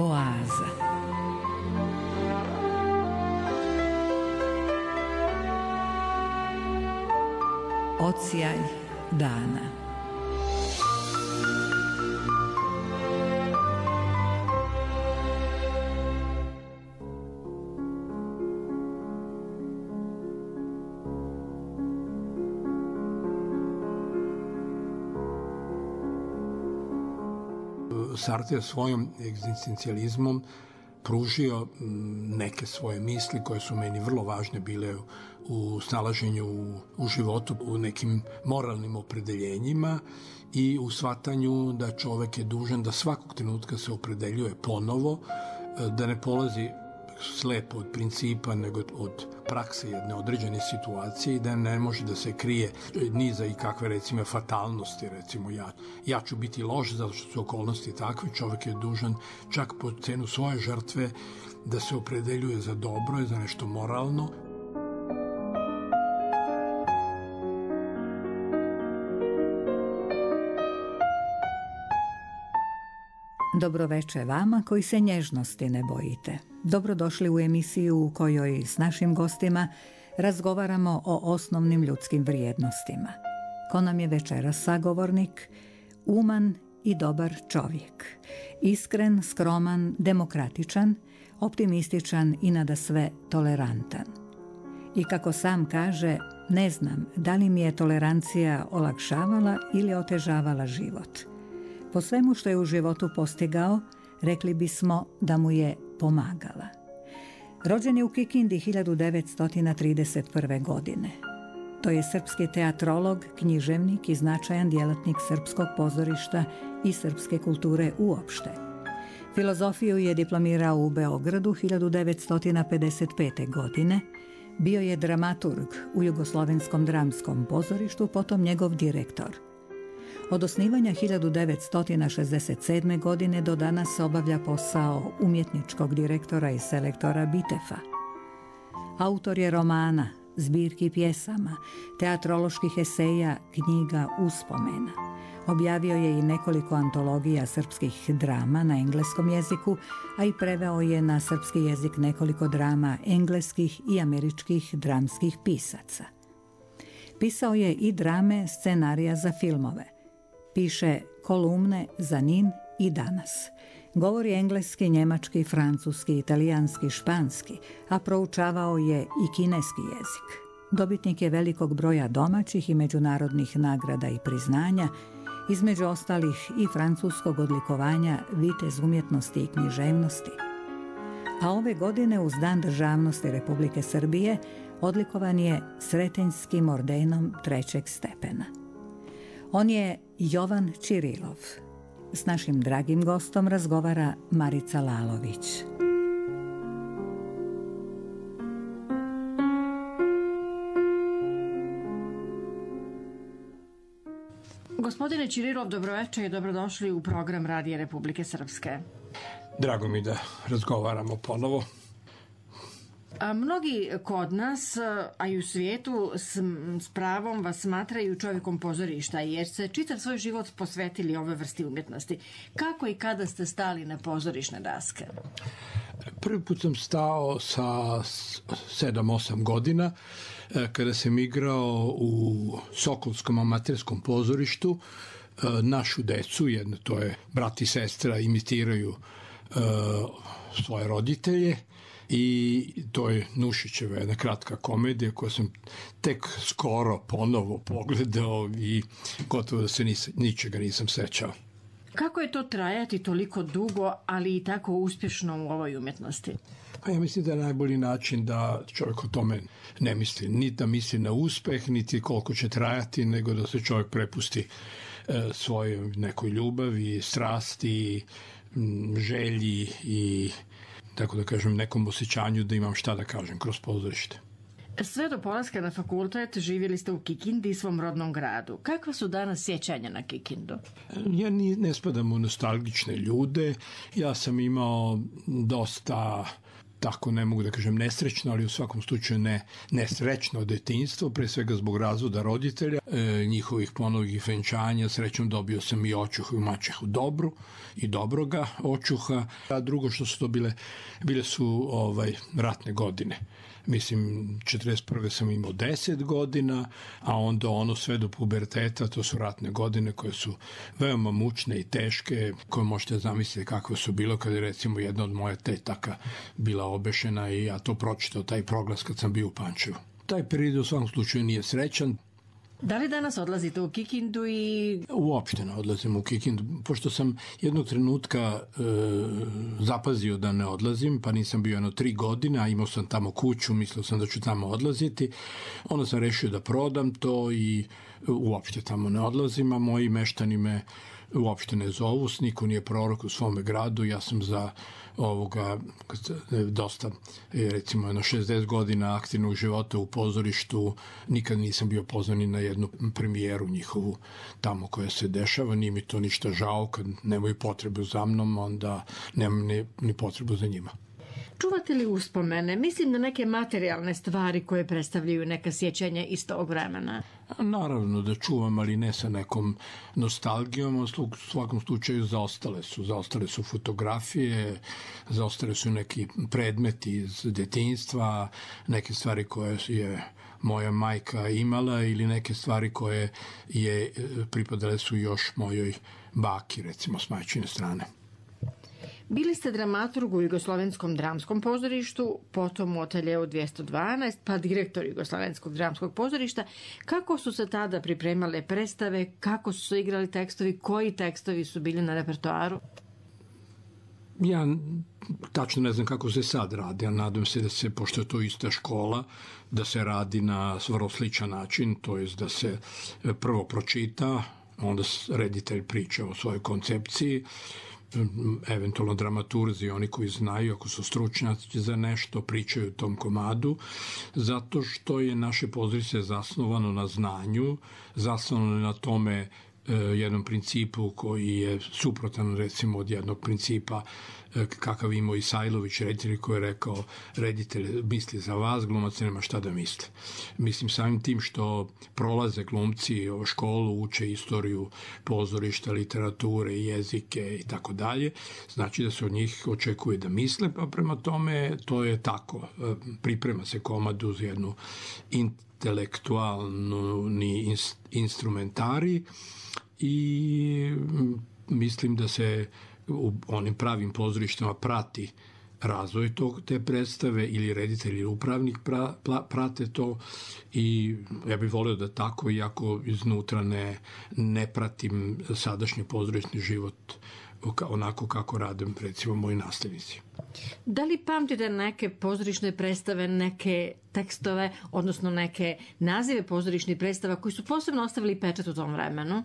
Oaza. Odsjaj dana. Sartre svojom egzistencijalizmom pružio neke svoje misli koje su meni vrlo važne bile u snalaženju u životu, u nekim moralnim opredeljenjima i u shvatanju da čovek je dužan da svakog trenutka se opredeljuje ponovo, da ne polazi slepo od principa, nego od prakse jedne određene situacije i da ne može da se krije ni za i kakve, recimo, fatalnosti. Recimo, ja ću biti loš zato što su okolnosti takve. Čovek je dužan čak po cenu svoje žrtve da se opredeljuje za dobro i za nešto moralno. Dobroveče vama koji se nježnosti ne bojite. Dobrodošli u emisiju u kojoj s našim gostima razgovaramo o osnovnim ljudskim vrijednostima. Ko nam je večeras sagovornik? Uman i dobar čovjek. Iskren, skroman, demokratičan, optimističan i nadasve tolerantan. I kako sam kaže, ne znam da li mi je tolerancija olakšavala ili otežavala život. Po svemu što je u životu postigao, rekli bismo da mu je pomagala. Rođen je u Kikindi 1931. godine. To je srpski teatrolog, književnik i značajan djelatnik srpskog pozorišta i srpske kulture uopšte. Filozofiju je diplomirao u Beogradu 1955. godine. Bio je dramaturg u Jugoslovenskom dramskom pozorištu, potom njegov direktor. Od osnivanja 1967. godine do danas obavlja posao umjetničkog direktora i selektora Bitefa. Autor je romana, zbirki pjesama, teatroloških eseja, knjiga, uspomena. Objavio je i nekoliko antologija srpskih drama na engleskom jeziku, a i preveo je na srpski jezik nekoliko drama engleskih i američkih dramskih pisaca. Pisao je i drame, scenarija za filmove. Piše kolumne za NIN i Danas. Govori engleski, njemački, francuski, italijanski, španski, a proučavao je i kineski jezik. Dobitnik je velikog broja domaćih i međunarodnih nagrada i priznanja, između ostalih i francuskog odlikovanja Vitez umjetnosti i književnosti. A ove godine uz Dan državnosti Republike Srbije odlikovan je Sretenjskim ordenom 3. stepena. On je Jovan Čirilov. S našim dragim gostom razgovara Marica Lalović. Gospodine Čirilov, dobroveče i dobrodošli u program Radija Republike Srpske. Drago mi da razgovaramo ponovo. Mnogi kod nas, a i u svijetu, s pravom vas smatraju čovjekom pozorišta, jer ste čitav svoj život posvetili ove vrsti umjetnosti. Kako i kada ste stali na pozorišne daske? Prvi put sam stao sa 7-8 godina, kada sam igrao u Sokolskom amaterskom pozorištu. Našu decu, jedno to je brat i sestra, imitiraju svoje roditelje. I to je Nušićeva jedna kratka komedija koju sam tek skoro ponovo pogledao i gotovo da se ničega nisam sećao. Kako je to trajati toliko dugo, ali i tako uspješno u ovoj umjetnosti? Pa ja mislim da je najbolji način da čovjek o tome ne misli. Ni da misli na uspeh, niti koliko će trajati, nego da se čovjek prepusti svojoj nekoj ljubavi, strasti, želji i tako da kažem, nekom osjećanju da imam šta da kažem kroz pozorište. Sve do polaska na fakultet živjeli ste u Kikindi, svom rodnom gradu. Kakva su danas sjećanja na Kikindu? Ja ne spadam u nostalgične ljude. Ja sam imao dosta tako ne mogu da kažem nesrećno, ali u svakom slučaju nesrećno detinjstvo, pre svega zbog razvoda roditelja, njihovih ponovih venčanja. Srećom dobio sam i očuhu i maćehu dobru i dobroga očuha, a drugo što su to bile su ratne godine. Mislim, 41. sam imao 10 godina, a onda ono sve do puberteta, to su ratne godine koje su veoma mučne i teške, koje možete zamisliti kakve su bilo kada je recimo jedna od moje tetaka bila obešena i ja to pročitao, taj proglas kad sam bio u Pančevu. Taj period u svakom slučaju nije srećan. Da li danas odlazite u Kikindu i... Uopšte ne odlazim u Kikindu, pošto sam jednog trenutka zapazio da ne odlazim, pa nisam bio 3 godine, a imao sam tamo kuću, mislio sam da ću tamo odlaziti. Onda sam rešio da prodam to i uopšte tamo ne odlazim, a moji meštani me uopšte ne zovu, niko nije prorok u svome gradu, ja sam za dosta, recimo 60 godina aktivnog života u pozorištu, nikad nisam bio pozvan ni na jednu premijeru njihovu tamo koja se dešava, nije mi to ništa žao, kad nemaju potrebu za mnom, onda nemam ni potrebu za njima. Čuvate li uspomene? Mislim na neke materijalne stvari koje predstavljaju neka sjećanja iz tog vremena. Naravno da čuvam, ali ne sa nekom nostalgijom, u svakom slučaju zaostale su fotografije, zaostale su neki predmeti iz detinjstva, neke stvari koje je moja majka imala ili neke stvari koje pripadale su još mojoj baki, recimo s majčine strane. Bili ste dramaturg u Jugoslovenskom dramskom pozorištu, potom u Ateljeu 212, pa direktor Jugoslovenskog dramskog pozorišta. Kako su se tada pripremale predstave, kako su se igrali tekstovi, koji tekstovi su bili na repertoaru? Ja tačno ne znam kako se sad radi, a nadam se da se, pošto je to ista škola, da se radi na vrlo sličan način, to je da se prvo pročita, onda reditelj priča o svojoj koncepciji, eventualno dramaturzi, oni koji znaju, ako su stručnjaci za nešto, pričaju o tom komadu, zato što je naše pozorište zasnovano na znanju, zasnovano na tome jednom principu koji je suprotan recimo od jednog principa kakav imao Isajlović, reditelj, koji je rekao reditelj misli za vas, glumac nema šta da misle. Mislim, samim tim što prolaze glumci školu, uče istoriju pozorišta, literature, jezike i tako dalje, znači da se od njih očekuje da misle, pa prema tome to je tako. Priprema se komad uz jednu intelektualni instrumentari i mislim da se u onim pravim pozorištima prati razvoj te predstave ili reditelj ili upravnik prate to i ja bih volio da tako, iako iznutra ne pratim sadašnji pozorišni život onako kako radim recimo moji nastavnici. Da li pamtite neke pozorišne predstave, neke tekstove, odnosno neke nazive pozorišnih predstava koji su posebno ostavili pečat u tom vremenu?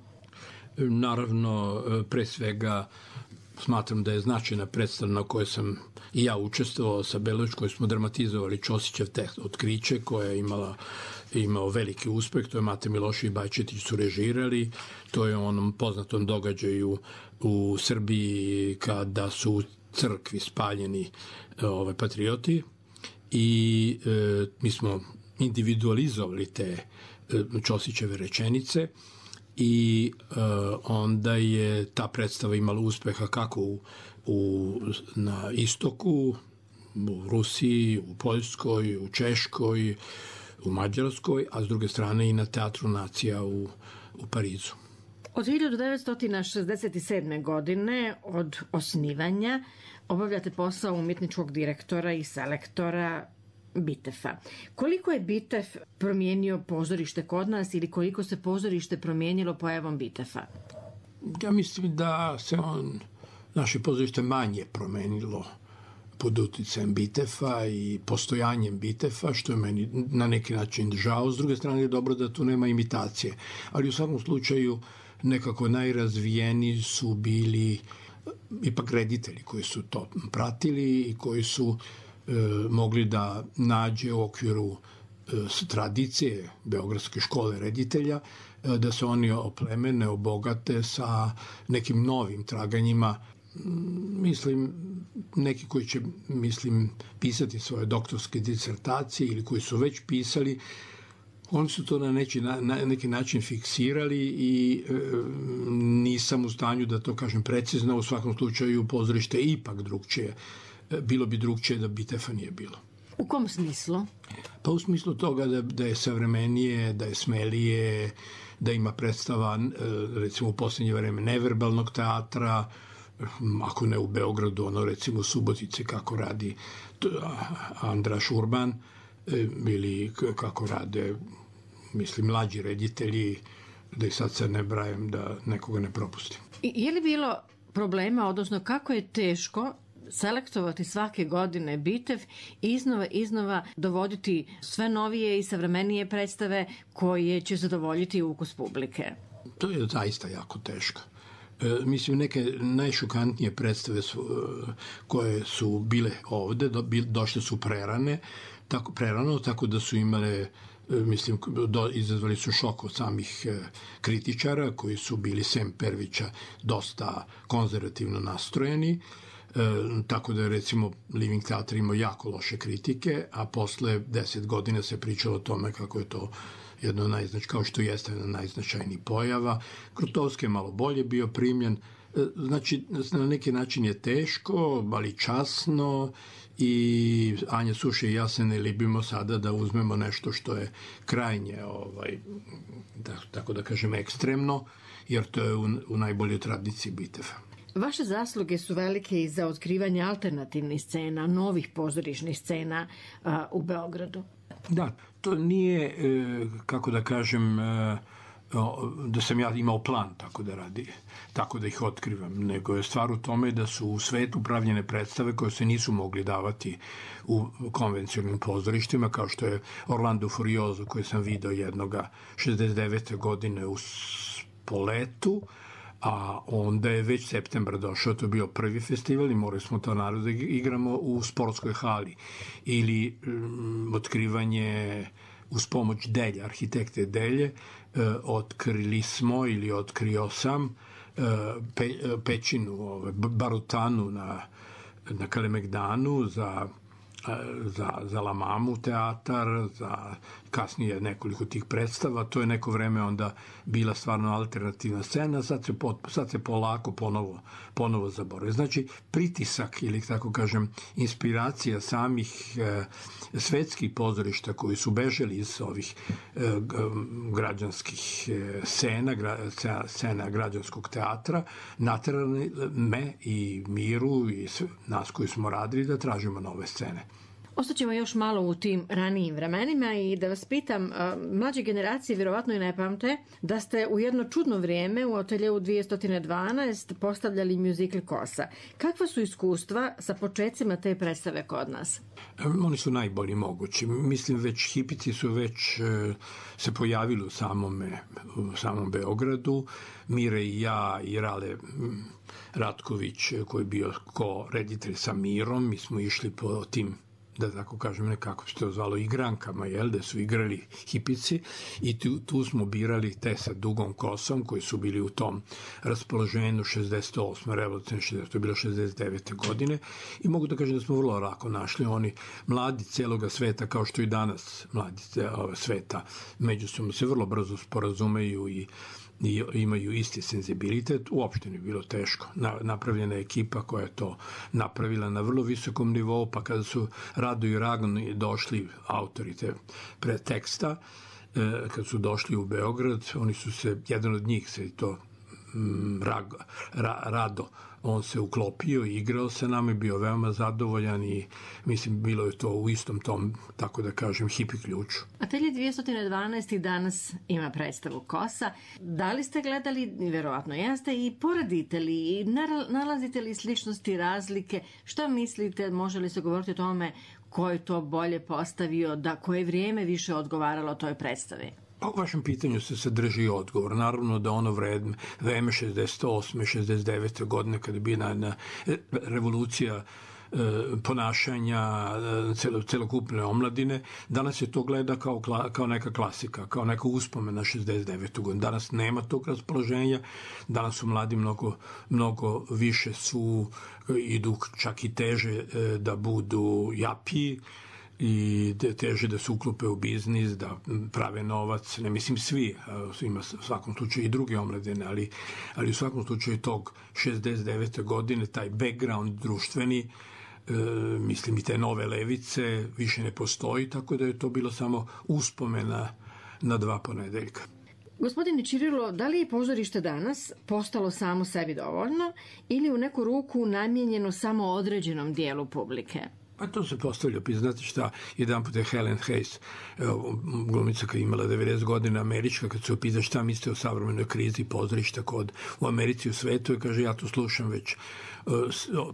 Naravno, pre svega smatram da je značajna predstava na kojoj sam i ja učestvovao sa Belović, koju smo dramatizovali, Ćosićev tekst Otkriće, koja je imao veliki uspeh, to je Mate Milošević i Bajčetić su režirali, to je onom poznatom događaju u Srbiji kada su u crkvi spaljeni patrioti i mi smo individualizovali te Ćosićeve rečenice i onda je ta predstava imala uspeha kako na istoku, u Rusiji, u Poljskoj, u Češkoj, u Mađarskoj, a s druge strane i na Teatru nacija u Parizu. Od 1967. godine, od osnivanja, obavljate posao umjetničkog direktora i selektora Bitefa. Koliko je Bitef promijenio pozorište kod nas ili koliko se pozorište promijenilo pojavom Bitefa? Ja mislim da se naše pozorište manje promenilo pod uticajem Bitefa i postojanjem Bitefa, što je meni na neki način žao. S druge strane je dobro da tu nema imitacije. Ali u svakom slučaju nekako najrazvijeniji su bili ipak reditelji koji su to pratili i koji su mogli da nađe u okviru tradicije Beogradske škole reditelja, da se oni oplemene, obogate sa nekim novim traganjima Mislim, neki koji će, pisati svoje doktorske disertacije ili koji su već pisali, oni su to na neki način fiksirali i nisam u stanju da to kažem precizno. U svakom slučaju pozorište je ipak drugčije. Bilo bi drugčije da Bitefa nije bilo. U kom smislu? Pa u smislu toga da je savremenije, da je smelije, da ima predstava, recimo u posljednje vreme, neverbalnog teatra, ako ne u Beogradu, recimo u Subotici kako radi Andraš Urban, ili kako rade, mlađi reditelji, da ih sad ne brajem, da nekoga ne propustim. Je li bilo problema, odnosno kako je teško selektovati svake godine Bitev i iznova dovoditi sve novije i savremenije predstave koje će zadovoljiti ukus publike? To je zaista jako teško. Neke najšokantnije predstave koje su bile ovde, došle su prerano, tako da su imale, izazvali su šok od samih kritičara koji su bili sem Pervića dosta konzervativno nastrojeni, tako da je recimo Living Theatre imao jako loše kritike, a posle 10 godina se pričalo o tome kako je to kao što jeste jedna najznačajnijih pojava. Krotovski je malo bolje bio primljen. Znači, na neki način je teško, ali časno, i Anja Suše i ja se ne libimo sada da uzmemo nešto što je krajnje, tako da kažem, ekstremno, jer to je u najboljoj tradiciji Bitefa. Vaše zasluge su velike i za otkrivanje alternativnih scena, novih pozorišnih scena u Beogradu. Da, to nije, kako da kažem, da sam ja imao plan tako da ih otkrivam, nego je stvar u tome da su u svetu pravljene predstave koje se nisu mogli davati u konvencionalnim pozorištima, kao što je Orlando Furioso, koji sam video jednoga 69. godine u Spoletu, a onda je već septembar došao, to je bio prvi festival i morali smo to naravno da igramo u sportskoj hali. Ili otkrivanje uz pomoć Delje, arhitekte Delje, otkrili smo ili otkrio sam pećinu, barutanu na Kalemegdanu za La Mamu teatar, za kasnije nekoliko tih predstava. To je neko vreme onda bila stvarno alternativna scena, sad se polako ponovo zaboravuje. Znači, pritisak ili tako kažem, inspiracija samih svetskih pozorišta koji su bežali iz ovih građanskih scena građanskog teatra, naterali me i Miru i nas koji smo radili da tražimo nove scene. Ostaćemo još malo u tim ranijim vremenima i da vas pitam, mlađe generacije vjerovatno i ne pamte da ste u jedno čudno vrijeme u ateljeu 212 postavljali mjuzikl Kosa. Kakva su iskustva sa početcima te predstave kod nas? Oni su najbolji mogući. Već hipici su već se pojavili u samom Beogradu. Mire i ja i Rale Ratković, koji je bio ko-reditelj sa Mirom, mi smo išli po tim, da tako kažem, nekako se to zvalo igrankama, da su igrali hipici, i tu smo birali te sa dugom kosom koji su bili u tom raspoloženju 68. revolucionarne 60. to je bilo 69. godine, i mogu da kažem da smo vrlo lako našli. Oni mladi celoga sveta, kao što i danas mladi sveta, međusobno se vrlo brzo sporazumeju i imaju isti senzibilitet. Uopšte nije bilo teško. Napravljena je ekipa koja je to napravila na vrlo visokom nivou, pa kada su Rado i Ragon došli, autori te preteksta, kad su došli u Beograd, oni su se, jedan od njih se to Rado, on se uklopio i igrao sa nama i bio veoma zadovoljan, i bilo je to u istom tom, tako da kažem, hipi ključu. Atelje 212 i danas ima predstavu Kosa. Da li ste gledali, verovatno jeste, i poredite li i nalazite li sličnosti, razlike? Šta mislite, može li se govoriti o tome ko je to bolje postavio, da koje vrijeme više odgovaralo toj predstavi? U vašem pitanju se sadrži odgovor. Naravno da ono vreme 68. 69. godine, kada je bila revolucija ponašanja celokupne omladine. Danas je to gleda kao neka klasika, kao neka uspomena 69. godinu. Danas nema tog raspoloženja, danas su mladi mnogo više idu čak i teže da budu japiji i teže da se uklope u biznis, da prave novac, ne mislim svi, ima u svakom slučaju i druge omladine, ali u svakom slučaju tog 69. godine, taj background društveni, mislim i te nove levice više ne postoji, tako da je to bilo samo uspomena na 2 ponedeljka. Gospodine Čirilo, da li je pozorište danas postalo samo sebi dovoljno ili u neku ruku namijenjeno samo određenom dijelu publike? Pa to se postavlja, znate šta, jedan put je Helen Hayes, glumica koja je imala 90 godina, američka, kad se opita šta mislite o savremenoj krizi pozorišta u Americi i u svetu, i kaže ja to slušam već,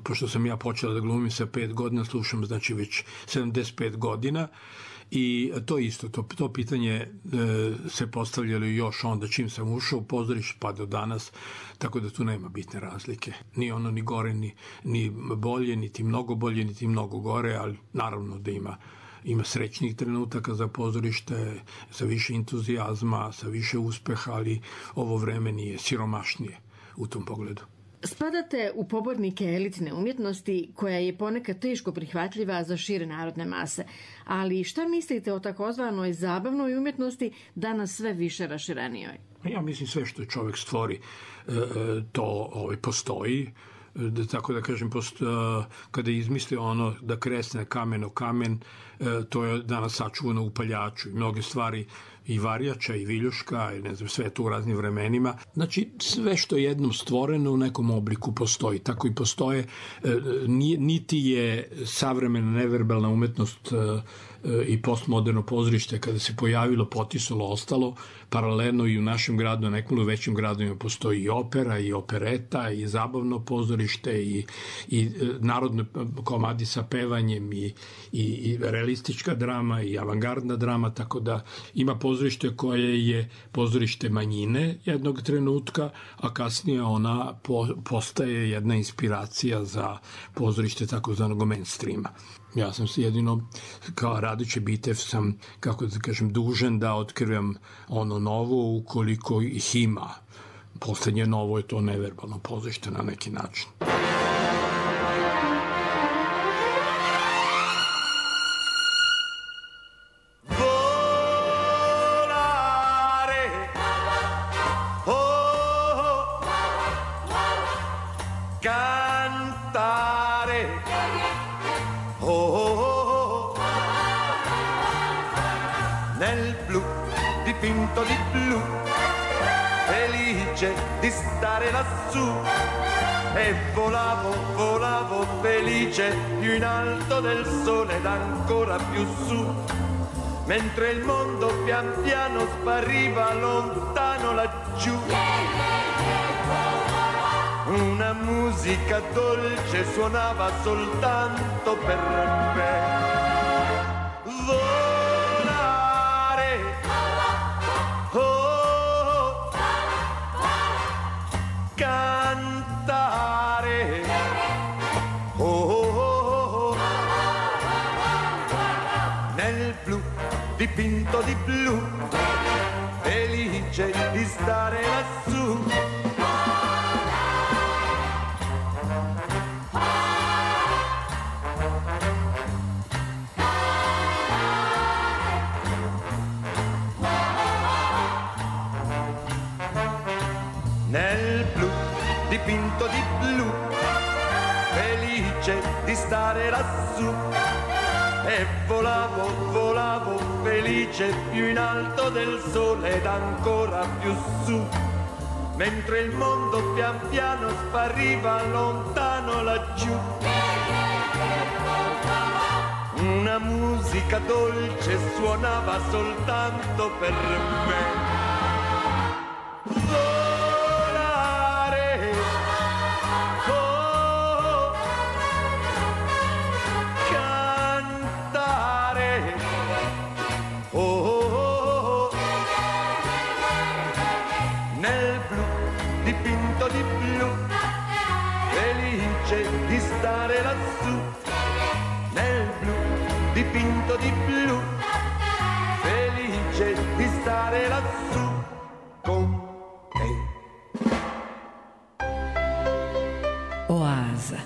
pošto sam ja počela da glumim sa 5 godina, slušam znači već 75 godina, i to isto, to pitanje se postavljalo još onda čim sam ušao u pozorište pa do danas, tako da tu nema bitne razlike. Ni ono ni gore, ni bolje, niti mnogo bolje, niti mnogo gore, ali naravno da ima srećnih trenutaka za pozorište, sa više entuzijazma, sa više uspeha, ali ovo vreme nije siromašnije u tom pogledu. Spadate u pobornike elitne umjetnosti koja je ponekad teško prihvatljiva za šire narodne mase, ali šta mislite o takozvanoj zabavnoj umjetnosti danas sve više raširenijoj? Ja mislim sve što čovjek stvori to postoji, tako da kažem, kada izmisli ono da kresne kamen o kamen, to je danas sačuvano u paljaču i mnoge stvari i Varjača i Viljuška i ne znam, sve to u raznim vremenima. Znači, sve što je jednom stvoreno u nekom obliku postoji. Tako i postoje, niti je savremena neverbalna umetnost i postmoderno pozorište kada se pojavilo, potisalo, ostalo, paralelno i u našem gradu, nekom u većim gradovima postoji i opera, i opereta, i zabavno pozorište, i narodne komadi sa pevanjem, i realistička drama, i avangardna drama, tako da ima pozorište koje je pozorište manjine jednog trenutka, a kasnije ona postaje jedna inspiracija za pozorište takozvanog mainstreama. Ja sam se jedino, kao radeći bitev, sam, kako da kažem, dužan da otkrivam ono novo ukoliko ih ima. Poslednje novo je to neverbalno pozorište na neki način. Dipinto di blu, felice di stare lassù, e volavo felice più in alto del sole ed ancora più su, mentre il mondo pian piano spariva lontano laggiù. Una musica dolce suonava soltanto per me. Dipinto di blu, felice di stare lassù. Nel blu, dipinto di blu, felice di stare lassù. E volavo felice più in alto del sole ed ancora più su, mentre il mondo pian piano spariva lontano laggiù. Una musica dolce suonava soltanto per me. Dipinto di blu, felice di stare lassù. dipinto di blu, felice di stare lassù con te. Oaza.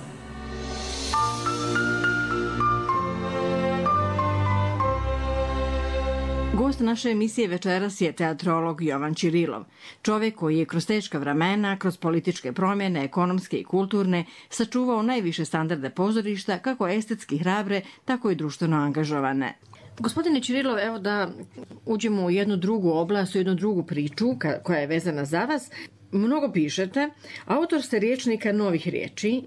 Gost naše emisije večeras je teatrolog Jovan Ćirilov, čovek koji je kroz teška vremena, kroz političke promjene, ekonomske i kulturne, sačuvao najviše standarde pozorišta, kako estetski hrabre, tako i društveno angažovane. Gospodine Ćirilov, evo da uđemo u jednu drugu oblast, u jednu drugu priču koja je vezana za vas. Mnogo pišete, autor ste rječnika novih riječi,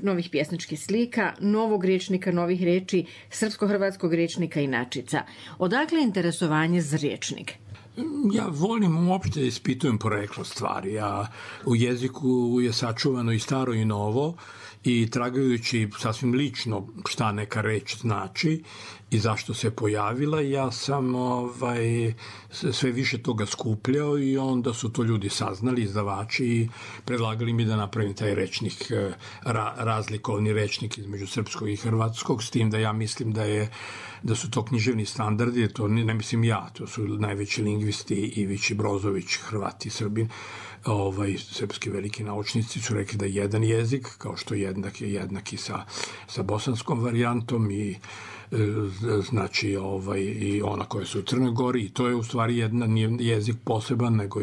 novih pjesničkih slika, novog rječnika novih riječi, srpsko-hrvatskog rječnika i inačica. Odakle interesovanje za rječnik? Ja volim uopšte da ispitujem poreklo stvari, a u jeziku je sačuvano i staro i novo i tragajući sasvim lično šta neka reč znači i zašto se pojavila, ja sam sve više toga skupljao i onda su to ljudi saznali, izdavači, i predlagali mi da napravim taj rečnik, razlikovni rečnik između srpskog i hrvatskog, s tim da ja mislim da su to književni standardi, to ne mislim ja, to su najveći lingvisti Ivić i Brozović, Hrvati i Srbin, srpski veliki naučnici su rekli da jedan jezik, kao što jednak i sa bosanskom varijantom i znači i ona koja su u Crnoj Gori, i to je u stvari nije jezik poseban, nego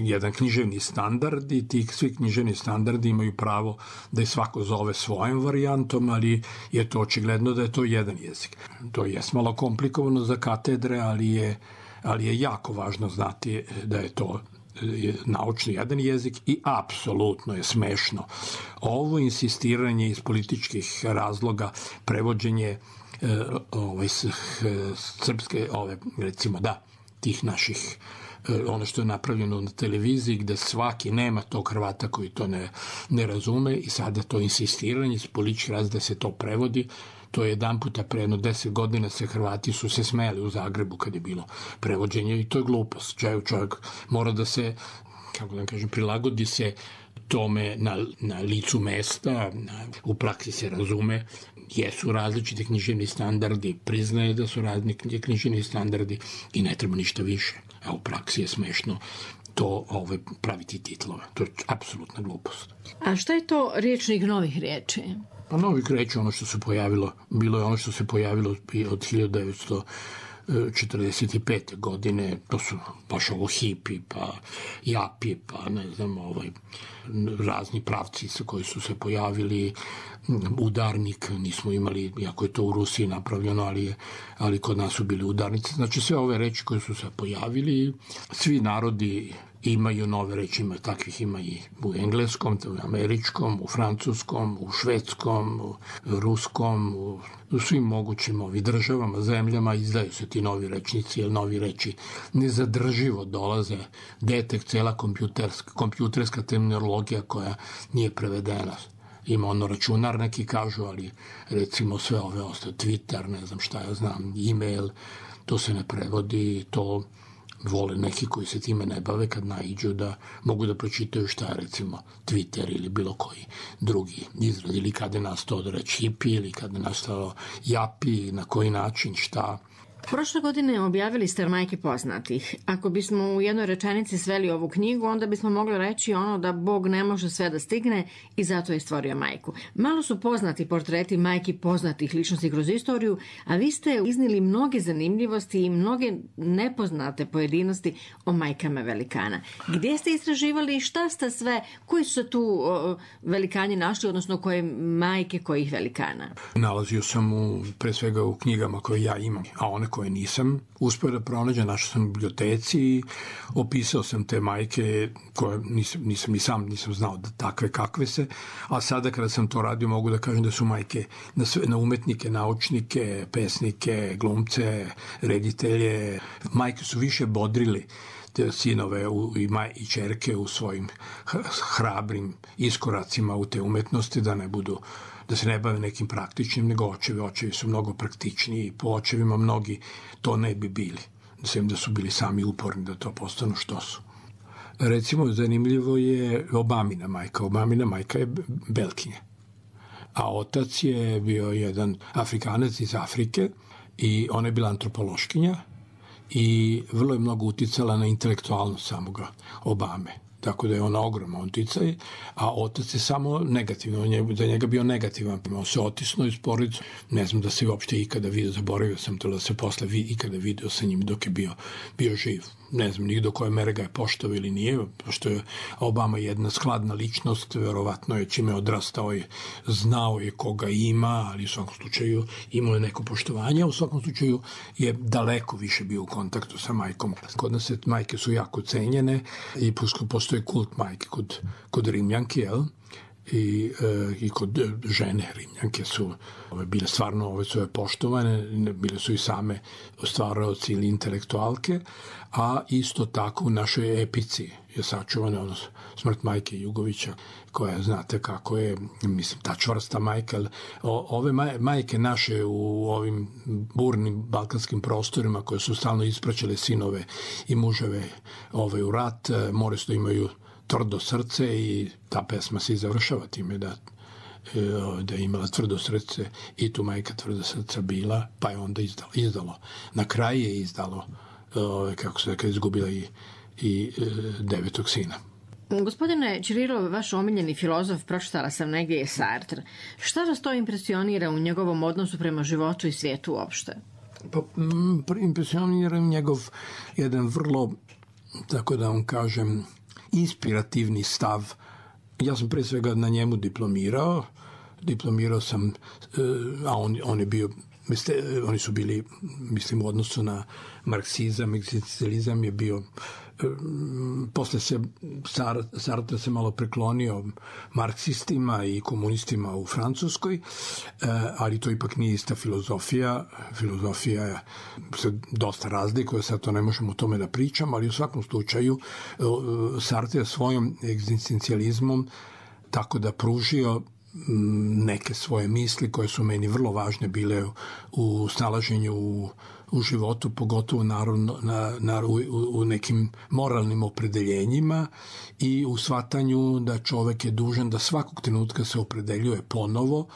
jedan književni standard, i ti svi književni standardi imaju pravo da je svako zove svojom varijantom, ali je to očigledno da je to jedan jezik. To je malo komplikovano za katedre, ali je jako važno znati da je to naučni jedan jezik i apsolutno je smešno ovo insistiranje iz političkih razloga, prevođenje srpske, recimo tih naših, ono što je napravljeno na televiziji, gde svaki nema tog Hrvata koji to ne razume, i sada to insistiranje iz političkih razloga da se to prevodi. To je jedan puta pre 10 godina Hrvati su se smeli u Zagrebu kad je bilo prevođenje, i to je glupost. Čovjek mora da se, kako da kažem, prilagodi se tome na licu mesta, u praksi se razume, jesu različiti književni standardi, priznaje da su različiti književni standardi i ne treba ništa više. A u praksi je smešno to praviti titlove. To je apsolutna glupost. A šta je to rječnik novih riječi? Pa novih riječi, ono što se pojavilo, bilo je ono što se pojavilo od 1945. godine, to su baš hipi, pa japi, pa ne znam, razni pravci koji su se pojavili, udarnik nismo imali, iako je to u Rusiji napravljeno, ali kod nas su bili udarnici. Znači sve ove reči koje su se pojavili, svi narodi imaju nove reči, takvih ima i u engleskom, u američkom, u francuskom, u švedskom, u ruskom, u svim mogućim državama, zemljama izdaju se ti novi rečnici, jer novi reči nezadrživo dolaze, tek cela kompjuterska terminologija koja nije prevedena. Ima računar, neki kažu, ali recimo sve ove ostale, Twitter, ne znam šta ja znam, e-mail, to se ne prevodi, to vole neki koji se time ne bave kad naiđu da mogu da pročitaju šta je recimo Twitter ili bilo koji drugi izraz, ili kada je nastao da reći hipi, ili kada je nastao japi, na koji način, šta. Prošle godine objavili ste Majke poznatih. Ako bismo u jednoj rečenici sveli ovu knjigu, onda bismo mogli reći da Bog ne može sve da stigne i zato je stvorio majku. Malo su poznati portreti majki poznatih ličnosti kroz istoriju, a vi ste iznili mnoge zanimljivosti i mnoge nepoznate pojedinosti o majkama velikana. Gdje ste istraživali i šta ste sve, koji su se tu velikani našli, odnosno koje majke kojih velikana? Nalazio sam pre svega u knjigama koje ja imam, a one koje nisam uspio da pronađem, našao sam u biblioteci i opisao sam te majke koje nisam znao da takve kakve se, a sada kada sam to radio mogu da kažem da su majke na umetnike, naučnike, pesnike, glumce, reditelje. Majke su više bodrili te sinove i ćerke u svojim hrabrim iskoracima u te umetnosti, da se ne bave nekim praktičnim, nego očevi su mnogo praktičniji i po očevima mnogi to ne bi bili. Da su bili sami uporni da to postanu što su. Recimo, zanimljivo je Obamina majka. Obamina majka je Belkinja. a otac je bio jedan Afrikanac iz Afrike i ona je bila antropološkinja i vrlo je mnogo uticala na intelektualnost samoga Obame. Tako da je ona ogroman uticaj, a otac je samo negativno, za njega bio negativan. On se otisnuo iz porodice, ne znam da se uopšte ikada vidio, zaboravio sam to da se posle ikada video sa njim dok je bio živ. Ne znam ni do koje mere ga je poštovao ili nije, pošto je Obama jedna skladna ličnost, verovatno je čime odrastao je, znao je koga ima, ali u svakom slučaju imao je neko poštovanje, u svakom slučaju je daleko više bio u kontaktu sa majkom. Kod nas majke su jako cenjene i postoji kult majke kod Rimljanke, jel? I kod žene Rimljanke su bile stvarno su poštovane, bile su i same stvaraoci ili intelektualke, a isto tako u našoj epici je sačuvana smrt majke Jugovića, koja znate kako je, mislim, ta čvrsta majka. Ove majke naše u ovim burnim balkanskim prostorima koje su stalno ispraćale sinove i muževe u rat, moraju da imaju tvrdo srce i ta pesma se i završava time da je imala tvrdo srce i tu majka tvrdo srca bila, pa je onda izdalo. Na kraju je izdalo, kako se rekao, izgubila i devetog sina. Gospodine Ćirilov, vaš omiljeni filozof, pročitala sam negdje, je Sartre. Šta vas to impresionira u njegovom odnosu prema životu i svijetu uopšte? Pa, impresionira njegov jedan vrlo, tako da vam kažem, inspirativni stav. Ja sam pre svega na njemu diplomirao sam, a on je bio, oni su bili, mislim, u odnosu na marksizam, egzistencijalizam je bio, posle se Sartre se malo preklonio marksistima i komunistima u Francuskoj, ali to ipak nije ista filozofija. Filozofija se dosta razlikuje, sad to ne možemo o tome da pričam, ali u svakom slučaju Sartre svojom egzistencijalizmom tako da pružio neke svoje misli koje su meni vrlo važne bile u snalaženju u životu, pogotovo u nekim moralnim opredeljenjima i u shvatanju da čovek je dužan da svakog trenutka se opredeljuje ponovo,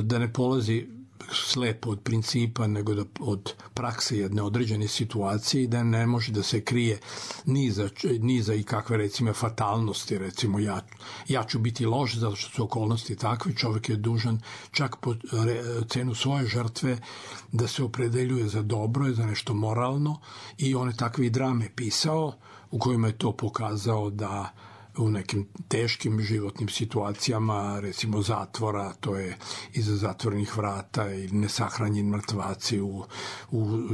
da ne polazi slepo od principa, nego od prakse jedne određene situacije i da ne može da se krije ni za i kakve, recimo, fatalnosti. Recimo, ja ću biti loš zato što su okolnosti takve. Čovek je dužan čak po cenu svoje žrtve da se opredeljuje za dobro i za nešto moralno i on je takve i drame pisao u kojima je to pokazao da u nekim teškim životnim situacijama, recimo zatvora, to je iza zatvorenih vrata ili nesahranjeni mrtvaci u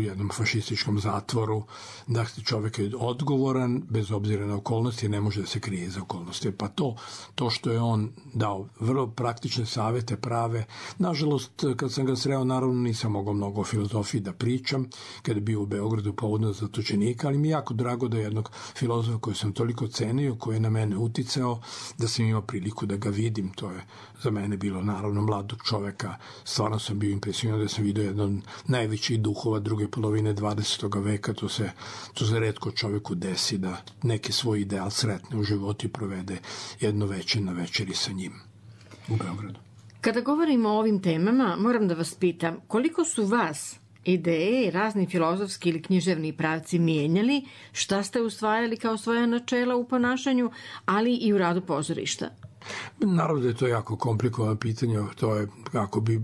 jednom fašističkom zatvoru, da čovjek je odgovoran bez obzira na okolnosti, ne može da se krije za okolnosti. Pa to što je on dao vrlo praktične savete prave, nažalost, kad sam ga sreo, naravno nisam mogao mnogo o filozofiji da pričam, kada je bio u Beogradu povodno zatočenika, ali mi je jako drago da jednog filozofa koji sam toliko cenio, koji je na mene uticao, da sam imao priliku da ga vidim. To je za mene bilo, naravno, mladog čoveka. Stvarno sam bio impresioniran da sam vidio jedan od najvećih duhova druge polovine 20. veka. To se retko čoveku desi da neki svoj ideal sretne u životu i provede jedno večer na večeri sa njim u Beogradu. Kada govorimo o ovim temama, moram da vas pitam, koliko su vas ideje i razni filozofski ili književni pravci mijenjali, šta ste usvajali kao svoja načela u ponašanju, ali i u radu pozorišta? Naravno da je to jako komplikovano pitanje, to je kako bi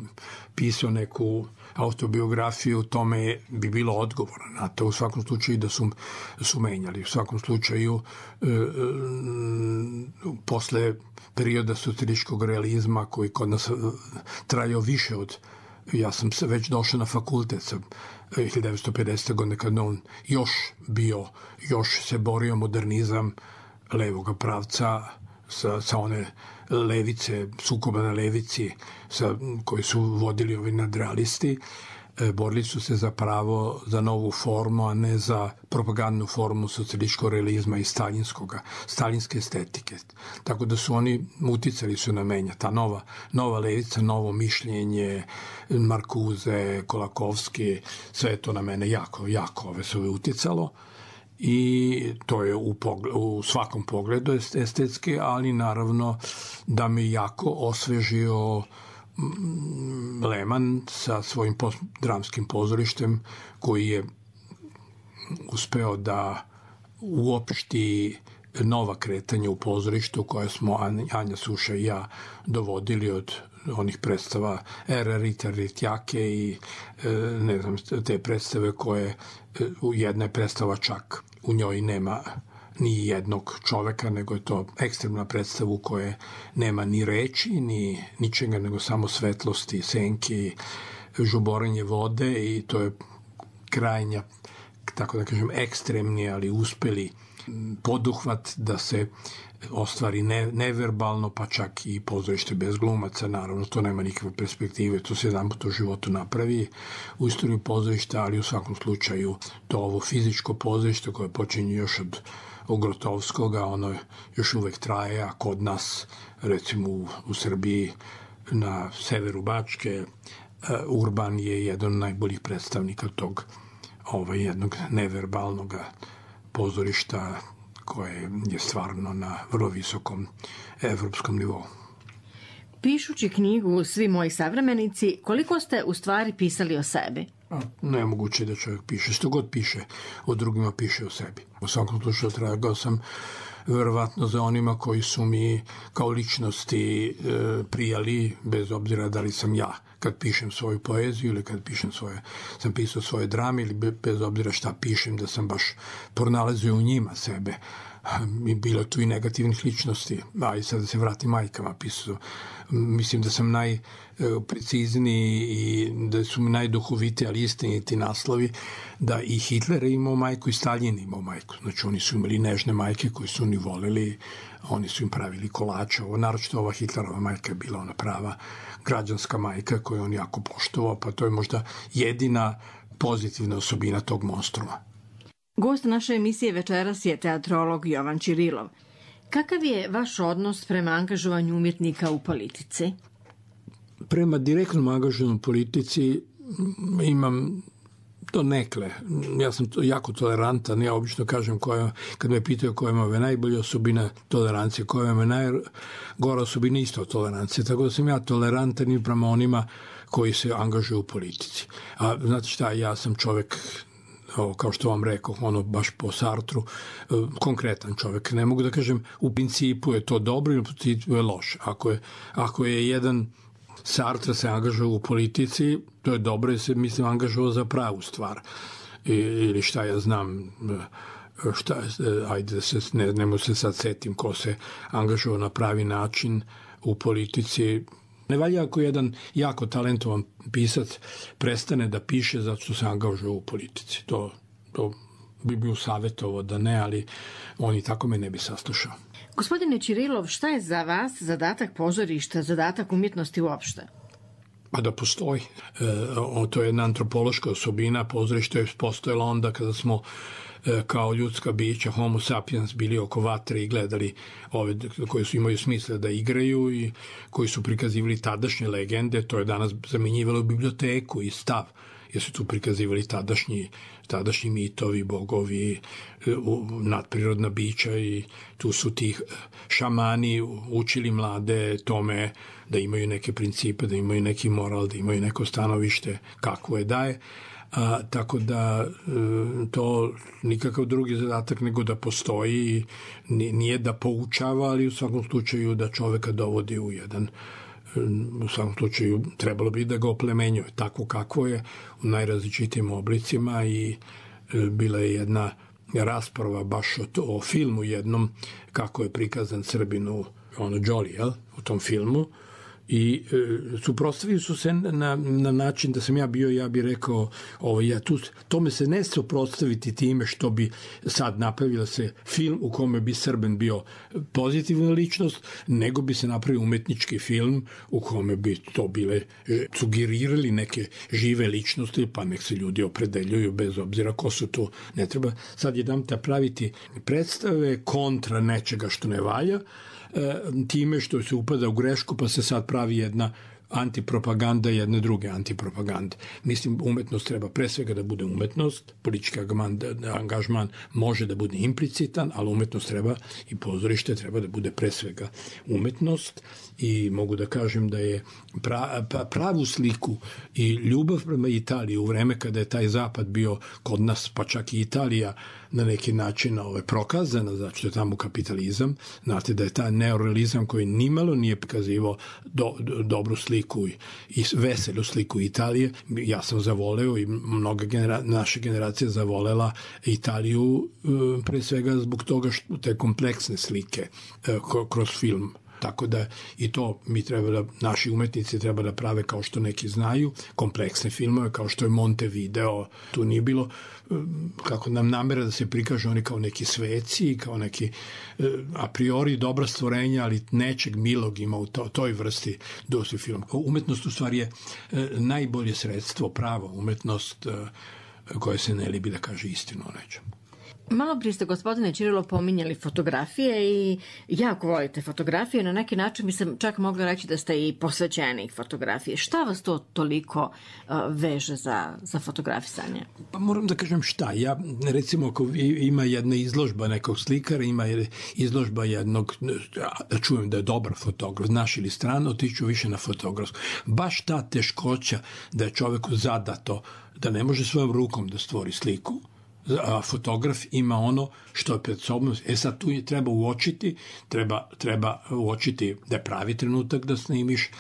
pisao neku autobiografiju, tome bi bilo odgovora na to, u svakom slučaju da su menjali. U svakom slučaju posle perioda socijalističkog realizma koji kod nas trajao više od, ja sam već došao na fakultet sa 1950. godine kad on još se borio modernizam levog pravca sa one levice, sukoba na levici koji su vodili ovi nadrealisti. Borili su se za pravo za novu formu, a ne za propagandnu formu socijalističkog realizma i staljinske estetike. Tako da su oni uticali su na menja. Ta nova levica, novo mišljenje, Markuze, Kolakovski, sve to na mene jako se uticalo. I to je u svakom pogledu estetski, ali naravno da mi jako osvežio Lehmann sa svojim dramskim pozorištem koji je uspeo da uopšti nova kretanja u pozorištu koje smo Anja Suša i ja dovodili od onih predstava Rita Ritjake i ne znam, te predstave koje jedna je predstava čak u njoj nema ni jednog čoveka, nego je to ekstremna predstava u kojoj nema ni reči, ni ničega, nego samo svetlosti, senke, žuborenje vode i to je krajnja, tako da kažem, ekstremni, ali uspeli poduhvat da se ostvari neverbalno, pa čak i pozorište bez glumaca, naravno to nema nikakve perspektive, to se jedan put u životu napravi u istoriju pozorišta, ali u svakom slučaju to ovo fizičko pozorište koje počinje još od Grotovskoga, ono još uvek traje, a kod nas, recimo u Srbiji, na severu Bačke, Urban je jedan od najboljih predstavnika tog jednog neverbalnog pozorišta koje je stvarno na vrlo visokom evropskom nivou. Pišući knjigu Svi moji savremenici, koliko ste u stvari pisali o sebi? Nemoguće da čovjek piše. Što god piše o drugima, piše o sebi. U svakom slučaju tragao sam verovatno za onima koji su mi kao ličnosti prijali, bez obzira da li sam ja kad pišem svoju poeziju ili kad sam pisao svoje drame ili bez obzira šta pišem, da sam baš pronalazio u njima sebe. Bilo tu i negativnih ličnosti, a i sad da se vratim majkama pisao. Mislim da sam najprecizniji i da su mi najduhoviti, ali istiniti naslovi, da i Hitler je imao majku i Stalin imao majku. Znači oni su imali nežne majke koje su oni voleli, oni su im pravili kolače. Naročito ova Hitlerova majka je bila ona prava građanska majka koju on jako poštovao, pa to je možda jedina pozitivna osobina tog monstruma. Gost naše emisije večeras je teatrolog Jovan Ćirilov. Kakav je vaš odnos prema angažovanju umjetnika u politici? Prema direktnom angažovanju u politici imam to nekle. Ja sam jako tolerantan. Ja obično kažem, kad me pitaju koja je najbolja osobina tolerancije, koja je najgora osobina isto tolerancije. Tako da sam ja tolerantan i prema onima koji se angažuju u politici. A znate šta, ja sam čovek, kao što vam rekao, baš po Sartru, konkretan čovek. Ne mogu da kažem u principu je to dobro ili u principu je loše. Ako je jedan Sartre se angažao u politici, to je dobro jer se, mislim, angažao za pravu stvar. Ili šta ja znam, ajde da se, ne mogu se sad setim ko se angažao na pravi način u politici. Ne valja ako jedan jako talentovan pisac prestane da piše zato što se angažuje u politici. To bi bio savjetovao da ne, ali on i tako me ne bi saslušao. Gospodine Ćirilov, šta je za vas zadatak pozorišta, zadatak umjetnosti uopšte? Pa da postoji. To je jedna antropološka osobina. Pozorište je postojalo onda kada smo kao ljudska bića, homo sapiens, bili oko vatre i gledali ove koji su imaju smisla da igraju i koji su prikazivali tadašnje legende. To je danas zamenjivalo biblioteku i stav, jer su tu prikazivali tadašnji mitovi, bogovi, nadprirodna bića i tu su ti šamani učili mlade tome da imaju neke principe, da imaju neki moral, da imaju neko stanovište kakvo je daje. Tako da to nikakav drugi zadatak nego da postoji, nije da poučava, ali u svakom slučaju da čoveka dovodi u jedan, u svakom slučaju trebalo bi da ga oplemenjuje tako kako je u najrazličitijim oblicima. I bila je jedna rasprava baš o filmu jednom kako je prikazan Srbinu Jolly, u tom filmu, i suprotstavili su se na način da sam ja bih rekao tome se ne suprotstaviti time što bi sad napravila se film u kome bi Srbin bio pozitivna ličnost, nego bi se napravio umetnički film u kome bi to bile sugerirali neke žive ličnosti, pa nek se ljudi opredeljuju bez obzira ko su tu. Ne treba sad jedanputa praviti predstave kontra nečega što ne valja, time što se upada u grešku, pa se sad pravi jedna antipropaganda jedne druge antipropagande. Mislim, umetnost treba pre svega da bude umetnost, politički angažman može da bude implicitan, ali umetnost treba i pozorište treba da bude pre svega umetnost i mogu da kažem da je pravu sliku i ljubav prema Italiji u vreme kada je taj zapad bio kod nas, pa čak i Italija na neki način prokazana, zato što je tamo kapitalizam. Znate da je taj neorealizam koji nimalo nije prikazivao dobru sliku i veselu sliku Italije. Ja sam zavoleo i mnoga naša generacija zavolela Italiju pre svega zbog toga što te kompleksne slike kroz film. Tako da i to mi treba da, naši umetnici treba da prave kao što neki znaju, kompleksne filmove, kao što je Montevideo, tu nije bilo kako nam namera da se prikažu oni kao neki sveci, kao neki a priori dobra stvorenja, ali nečeg milog ima u toj vrsti dosti film. Umetnost u stvari je najbolje sredstvo, pravo umetnost koja se ne libi da kaže istinu o nečemu. Malo prije ste, gospodine Ćirilo, pominjali fotografije i jako volite fotografije. Na neki način bi se čak mogla reći da ste i posvećenik fotografije. Šta vas to toliko veže za fotografisanje? Pa moram da kažem šta. Ja, recimo, ako ima jedna izložba nekog slikara, ima izložba jednog, čujem da je dobar fotograf, naš ili strano, otiću više na fotografsku. Baš ta teškoća da je čoveku zadato da ne može svojom rukom da stvori sliku, a fotograf ima ono što je pred sobom. Sad tu treba uočiti, treba uočiti da je pravi trenutak da snimiš,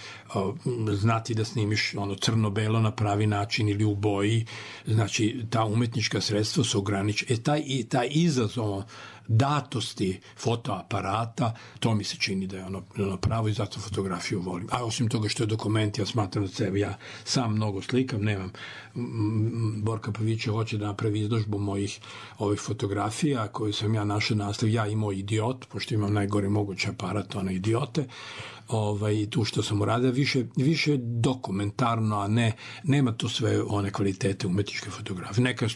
znati da snimiš ono crno-belo na pravi način ili u boji. Znači, ta umetnička sredstva su ograničena. Taj izazov datosti fotoaparata, to mi se čini da je ono pravo i zato fotografiju volim. A osim toga što je dokument, ja smatram da sebe, ja sam mnogo slikam, nemam. Borka Pavića hoće da napravi izložbu mojih ovih fotografija koje sam ja našao nastav, ja i moj idiot, pošto imam najgore moguće aparat, one idiote, tu što sam uradio, više dokumentarno, a nema to sve one kvalitete umetničke fotografije. Neka je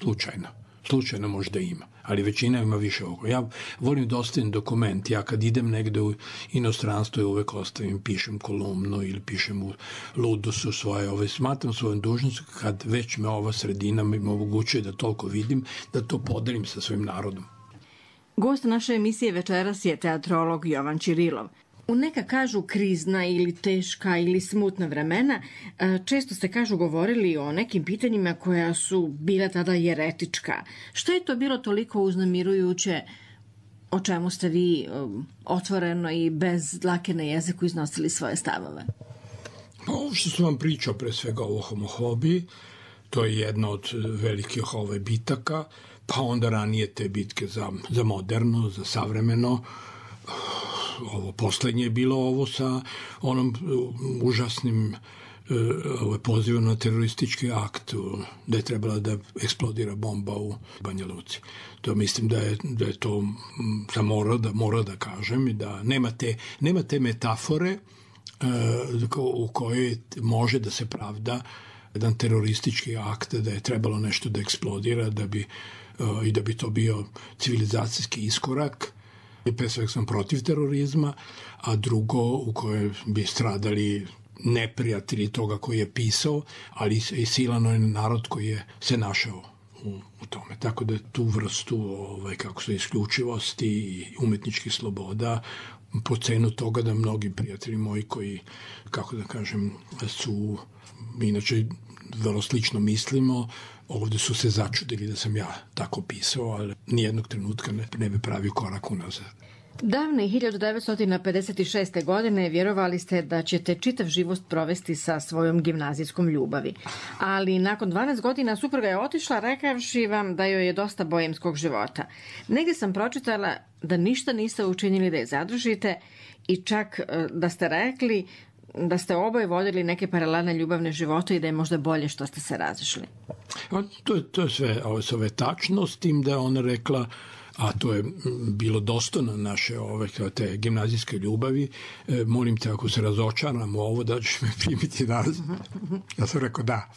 slučajno možda ima, ali većina ima više ovoga. Ja volim da ostavim dokument, ja kad idem negde u inostranstvo uvek ostavim, pišem kolumnu ili pišem u Ludosu svoje, smatram svojom dužnost kad već me ova sredina mi omogućuje da toliko vidim, da to podelim sa svojim narodom. Gost naše emisije večeras je teatrolog Jovan Ćirilov. U neka kažu krizna ili teška ili smutna vremena, često ste govorili o nekim pitanjima koja su bila tada jeretička. Što je to bilo toliko uznemirujuće o čemu ste vi otvoreno i bez dlake na jeziku iznosili svoje stavove? Pa ovo što sam vam pričao pre svega o homofobiji, to je jedna od velikih bitaka, pa onda ranije te bitke za moderno, za savremeno. Ovo poslednje je bilo ovo sa onom užasnim pozivom na teroristički akt da je trebala da eksplodira bomba u Banja Luci. To mislim da je to sam mora da kažem i da nema te metafore u kojoj može da se pravda jedan teroristički akt da je trebalo nešto da eksplodira i da bi to bio civilizacijski iskorak. Pre svega sam protiv terorizma, a drugo u kojoj bi stradali neprijatelji toga koji je pisao, ali i silano je narod koji je se našao u tome. Tako da tu vrstu isključivosti i umetničkih sloboda po cenu toga da mnogi prijatelji moji koji, kako da kažem, su inače vrlo slično mislimo, ovde su se začudili da sam ja tako pisao, ali nijednog trenutka ne bi pravio korak unazad. Davne 1956. godine vjerovali ste da ćete čitav život provesti sa svojom gimnazijskom ljubavi. Ali nakon 12 godina supruga je otišla rekavši vam da joj je dosta bojemskog života. Negdje sam pročitala da ništa niste učinili da je zadržite i čak da ste rekli da ste oboje vodili neke paralelne ljubavne živote i da je možda bolje što ste se razišli. To je sve tačno, s tim da je ona rekla, a to je bilo dostojno naše te gimnazijske ljubavi, molim te ako se razočaram u ovo da ćeš me primiti danas. Ja sam rekao da.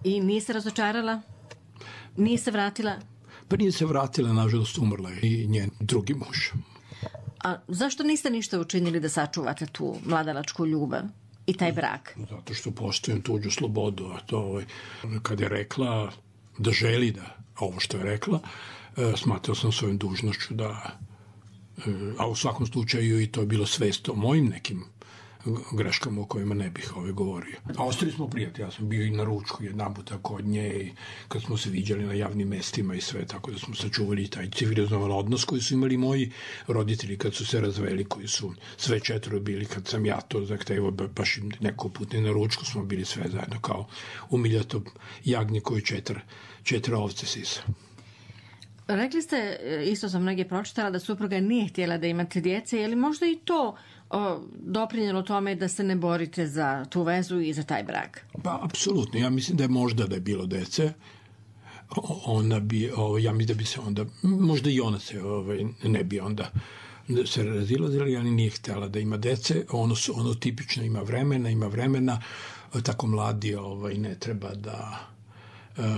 I nije se razočarala? Nije se vratila? Pa nije se vratila, nažalost umrla je i njen drugi muž. A zašto niste ništa učinili da sačuvate tu mladalačku ljubav? i taj brak? Zato što poštujem tuđu slobodu, a to kad je rekla da želi da ovo što je rekla, smatrao sam svojom dužnošću da, a u svakom slučaju i to je bilo svest o mojim nekim greškama o kojima ne bih govorio. A ostali smo prijatelji, ja sam bio i na ručku jedan puta kod nje i kad smo se viđali na javnim mestima i sve, tako da smo sačuvali taj civilizovan odnos koji su imali moji roditelji kad su se razveli, koji su sve četvoro bili kad sam ja to zahtevao, baš neko put na ručku smo bili sve zajedno kao umiljato jagnje koje četiri ovce sisa. Rekli ste, isto sam mnoge pročitala, da supruga nije htjela da imate djece, je li možda i to doprinjelo tome da se ne borite za tu vezu i za taj brak? Pa, apsolutno. Ja mislim da je možda da je bilo dece, ona bi, ja mislim da bi se onda, možda i ona se ne bi onda se razilazila, ali nije htjela da ima dece. Ono tipično ima vremena, tako mladi ne treba da,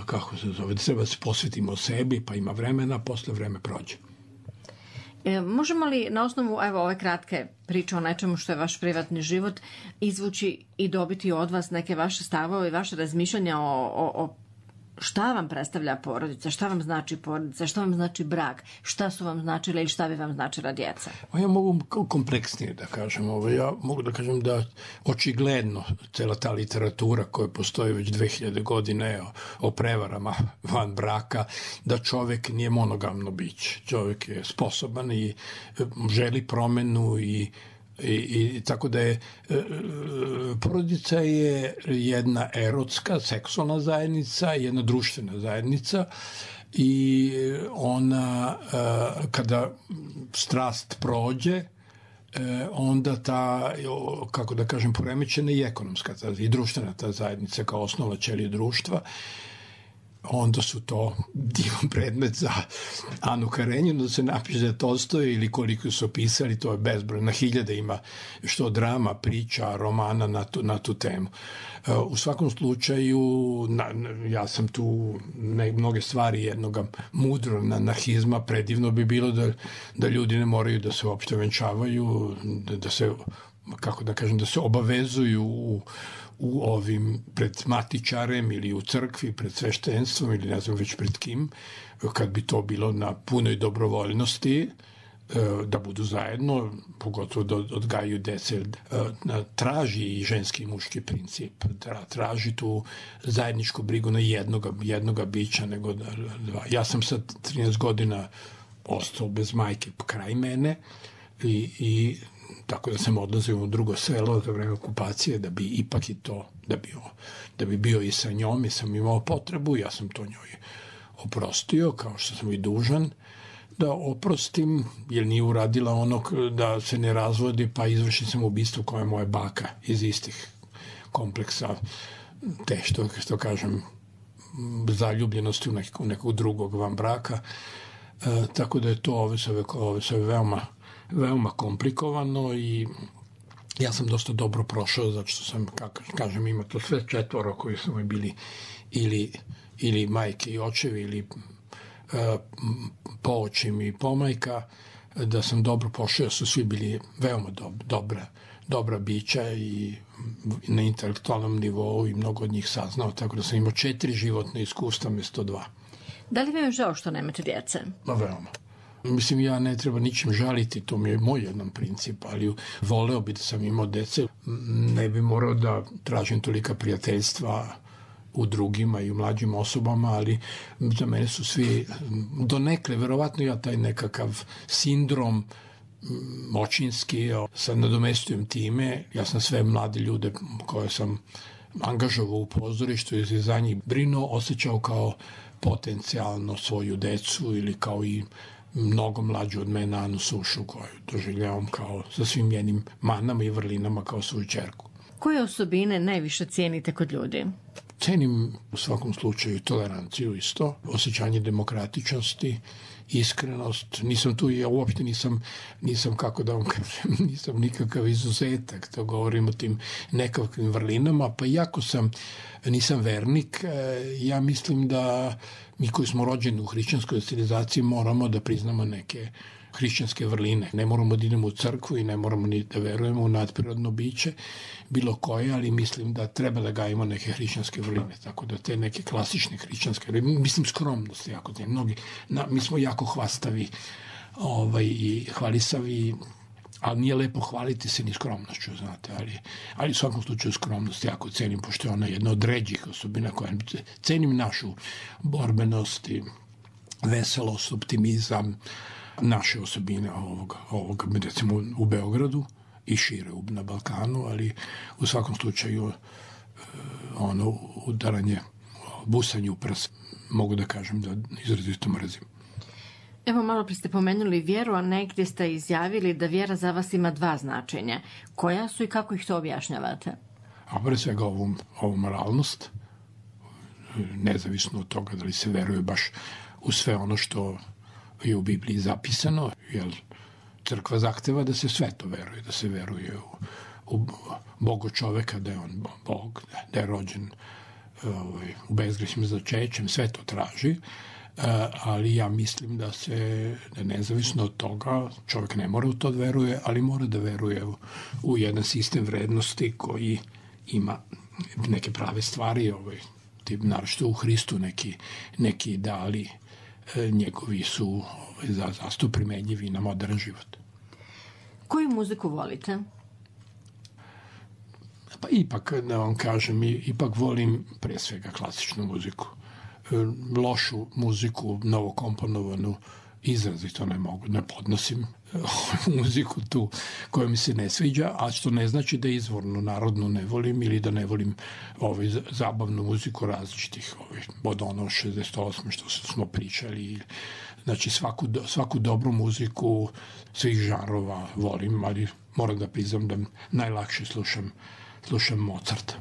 kako se zove, da treba da se posvetimo sebi, pa ima vremena, posle vreme prođe. Možemo li na osnovu ove kratke priče o nečemu što je vaš privatni život izvući i dobiti od vas neke vaše stavove i vaše razmišljanja o šta vam predstavlja porodica, šta vam znači porodica, šta vam znači brak, šta su vam značile ili šta bi vam značila djeca? Ja mogu kompleksnije da kažem. Ja mogu da kažem da očigledno cela ta literatura koja postoji već 2000 godine o prevarama van braka, da čovek nije monogamno biće. Čovek je sposoban i želi promenu i tako da je porodica je jedna erotska, seksualna zajednica, jedna društvena zajednica i ona kada strast prođe, onda ta, kako da kažem, poremećena i ekonomska i društvena ta zajednica kao osnova ćelije društva, onda su to divan predmet za Anu Karenjinu, da se napiše da je Tolstoj ili koliko su opisali, to je bezbroj, na hiljade ima što drama, priča, romana na tu temu. U svakom slučaju, ja sam tu mnoge stvari jednog mudro anarhizma, predivno bi bilo da ljudi ne moraju da se uopšte venčavaju, da se, kako da kažem, da se obavezuju u ovim pred matičarem ili u crkvi, pred sveštenstvom ili ne znam već pred kim, kad bi to bilo na punoj dobrovoljnosti, da budu zajedno, pogotovo da odgajaju dece, traži i ženski i muški princip, traži tu zajedničku brigu na jednoga bića nego dva. Ja sam sad 13 godina ostao bez majke kraj mene i tako da sam odlazio u drugo selo za vreme okupacije da bi ipak i to, da bi bio i sa njom i sam imao potrebu, ja sam to njoj oprostio, kao što sam i dužan da oprostim, jer nije uradila ono da se ne razvodi, pa izvrši sam ubistvo koja je moja baka iz istih kompleksa, te što kažem, zaljubljenosti u nekog drugog van braka, tako da je to ove sve veoma komplikovano i ja sam dosta dobro prošao, zato što sam, kažem, ima to sve četvoro koji su mi bili ili majke i očevi ili poočim i pomajka, da sam dobro prošao, su svi bili veoma dobra bića i na intelektualnom nivou i mnogo od njih saznao, tako da sam imao 4 životne iskustva mjesto 2. Da li vam je žao što nemate djece? Veoma. Mislim, ja ne treba ničim žaliti, to mi je moj jedan princip, ali voleo bi da sam imao dece, ne bi morao da tražim tolika prijateljstva u drugima i u mlađim osobama, ali za mene su svi donekle, verovatno ja taj nekakav sindrom očinski, sad nadomestujem time, ja sam sve mlade ljude koje sam angažovao u pozorištu i za njih brinuo, osjećao kao potencijalno svoju decu ili kao i mnogo mlađu od mene Anu Sušu koju doživljavam kao sa svim njenim manama i vrlinama kao svoju ćerku. Koje osobine najviše cijenite kod ljudi? Cenim u svakom slučaju toleranciju isto, osjećanje demokratičnosti, iskrenost. Nisam tu, ja uopšte nisam kako da vam kažem, nisam nikakav izuzetak, to govorim o tim nekakvim vrlinama, pa iako nisam vernik, ja mislim da mi koji smo rođeni u hrišćanskoj civilizaciji moramo da priznamo hrišćanske vrline. Ne moramo da idemo u crkvu i ne moramo ni da verujemo u nadprirodno biće, bilo koje, ali mislim da treba da gajimo neke hrišćanske vrline, tako da te neke klasične hrišćanske vrline, mislim skromnost jako, mi smo jako hvastavi i hvalisavi, ali nije lepo hvaliti se ni skromnošću, znate, ali u svakom slučaju skromnost jako cenim, pošto je ona jedna od ređih osobina koja cenim našu borbenost i veselost, optimizam, naše osobine ovoga, recimo u Beogradu i šire na Balkanu, ali u svakom slučaju ono udaranje, busanje u prs, mogu da kažem da izrazito mrzim. Evo, malo pre ste pomenuli vjeru, a negdje ste izjavili da vjera za vas ima dva značenja. Koja su i kako ih to objašnjavate? A pre svega ovu moralnost, nezavisno od toga da li se veruje baš u sve ono što je u Bibliji zapisano, jer crkva zahteva da se sve to veruje, da se veruje u Boga čoveka, da je on Bog, da je rođen u bezgrešnim začećem, sve to traži, ali ja mislim da nezavisno od toga čovjek ne mora u to da veruje, ali mora da veruje u jedan sistem vrednosti koji ima neke prave stvari, naravno u Hristu neki ideali njegovi su zasto primenjivi na modern život. Koju muziku volite? Pa ipak, da vam kažem, ipak volim pre svega klasičnu muziku. Lošu muziku, novokomponovanu, izrazito ne podnosim muziku tu koja mi se ne sviđa, a što ne znači da izvornu narodnu ne volim ili da ne volim zabavnu muziku različitih, od ono 68. što smo pričali. Znači svaku dobru muziku svih žanrova volim, ali moram da priznam da najlakše slušam Mozarta.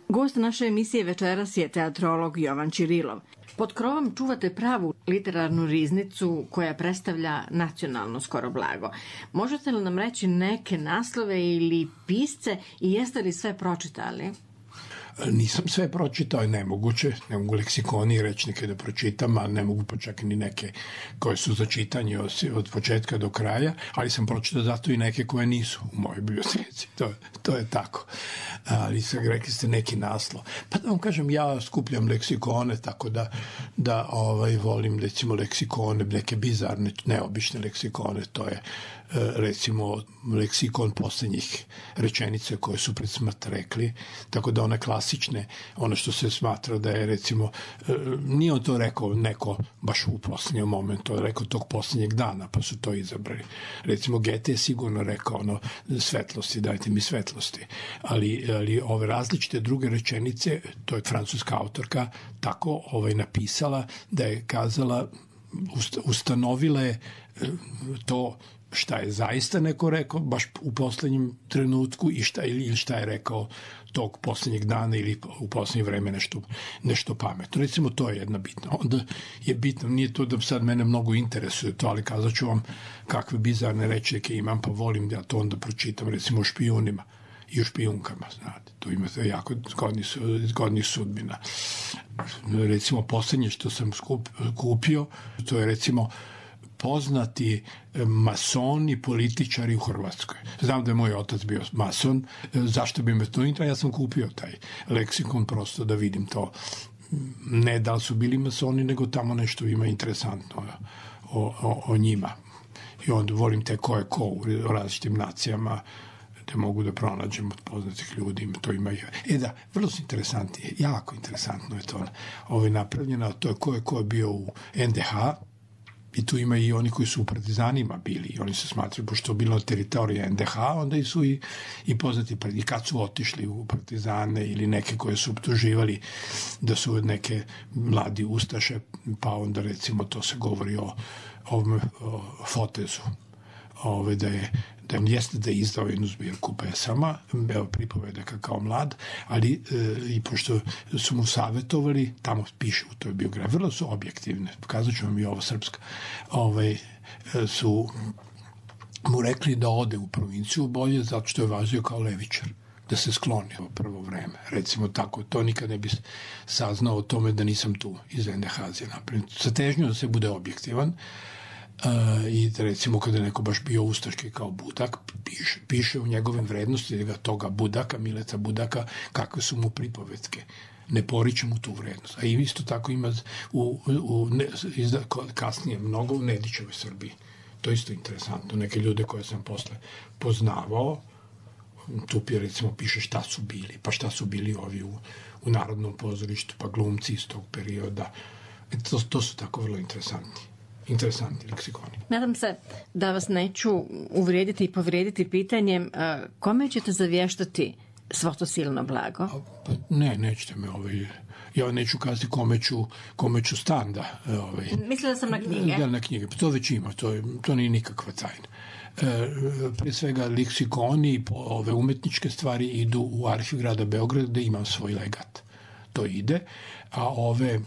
Gost naše emisije večeras je teatrolog Jovan Ćirilov. Pod krovom čuvate pravu literarnu riznicu koja predstavlja nacionalno skoro blago. Možete li nam reći neke naslove ili pisce i jeste li sve pročitali? Nisam sve pročitao, je nemoguće. Ne mogu leksikoni i rečnike da pročitam, a ne mogu pa čak ni neke koje su za čitanje od početka do kraja, ali sam pročitao zato i neke koje nisu u mojoj biblioteci. To je tako. Ali rekli ste neki naslov. Pa da vam kažem, ja skupljam leksikone, tako da volim recimo leksikone, neke bizarne, neobične leksikone, to je recimo leksikon poslednjih rečenica koje su pred smrt rekli, tako da one klasične, ono što se smatra da je recimo, nije on to rekao neko baš u poslednjem momentu, on rekao tog poslednjeg dana, pa su to izabrali. Recimo Goethe je sigurno rekao svetlosti, dajte mi svetlosti, ali ove različite druge rečenice, to je francuska autorka tako napisala da je kazala, ustanovila je to šta je zaista neko rekao baš u poslednjem trenutku i šta je rekao tog poslednjeg dana ili u poslednje vreme nešto pametno. Recimo, to je jedna bitna. Onda je bitno, nije to da sad mene mnogo interesuje to, ali kazat ću vam kakve bizarne rečnike imam, pa volim da to onda pročitam, recimo o špijunima i o špijunkama, znate. Tu imate jako zgodnih sudbina. Recimo, poslednje što sam kupio, to je recimo poznati masoni, političari u Hrvatskoj. Znam da je moj otac bio mason, zašto bi me to interesovalo? Ja sam kupio taj leksikon prosto da vidim to. Ne da li su bili masoni, nego tamo nešto ima interesantno o njima. I onda volim te ko je ko u različitim nacijama, da mogu da pronađem od poznatih ljudi, to ima. Da, vrlo su interesantni, jako interesantno je to napravljeno, to je ko je bio u NDH, i tu ima i oni koji su u partizanima bili, i oni se smatraju, pošto je bilo teritorija NDH, onda su i poznati, i kad su otišli u partizane ili neke koje su optuživali da su neke mladi ustaše, pa onda recimo to se govori o Fotezu, da jeste da je izdao jednu zbirku pesama, pripovedaka kao mlad, ali i pošto su mu savjetovali, tamo piše u toj biografiji, vrlo su objektivne, pokazat ću vam i ovo srpska, su mu rekli da ode u provinciju bolje zato što je važio kao levičar, da se skloni u prvo vreme. Recimo tako, to nikad ne bi saznao o tome da nisam tu iz NDH-a napravljen. Sa težnjom da se bude objektivan, i recimo kada je neko baš bio ustaški kao Budak, piše u njegovim vrednosti toga Budaka, Mileta Budaka, kakve su mu pripovetke. Ne poriče mu tu vrednost. A isto tako ima kasnije mnogo u Nedićevoj Srbiji. To je isto interesantno. Neke ljude koje sam posle poznavao, tu recimo piše šta su bili, pa šta su bili ovi u Narodnom pozorištu, pa glumci iz tog perioda. To su tako vrlo interesantni leksikoni. Nadam se da vas neću uvrijediti i povrijediti pitanjem kome ćete zavještati svo to silno blago? Nećete me ja neću kazati kome ću stan da... Mislila sam na knjige. Da, na knjige. To već ima, to nije nikakva tajna. Pre svega leksikoni, ove umetničke stvari idu u Arhiv grada Beograda gde imam svoj legat. To ide, a ove